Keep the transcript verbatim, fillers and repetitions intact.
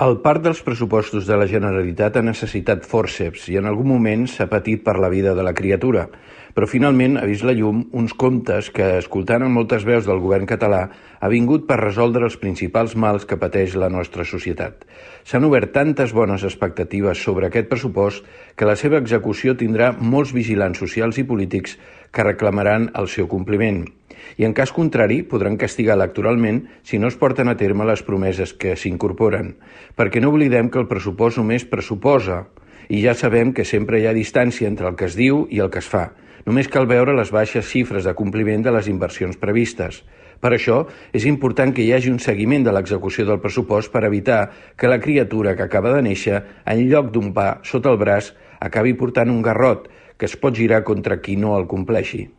El part dels pressupostos de la Generalitat ha necessitat fòrceps i en algun moment s'ha patit per la vida de la criatura, però finalment ha vist la llum uns comptes que, escoltant en moltes veus del govern català, ha vingut per resoldre els principals mals que pateix la nostra societat. S'han obert tantes bones expectatives sobre aquest pressupost que la seva execució tindrà molts vigilants socials i polítics que reclamaran el seu compliment. I en cas contrari podran castigar electoralment si no es porten a terme les promeses que s'incorporen, perquè no oblidem que el pressupost només pressuposa i ja sabem que sempre hi ha distància entre el que es diu i el que es fa. Només cal veure les baixes xifres de compliment de les inversions previstes. Per això, és important que hi hagi un seguiment de l'execució del pressupost per evitar que la criatura que acaba de néixer, en lloc d'un pa sota el braç, acabi portant un garrot que es pot girar contra qui no el compleixi.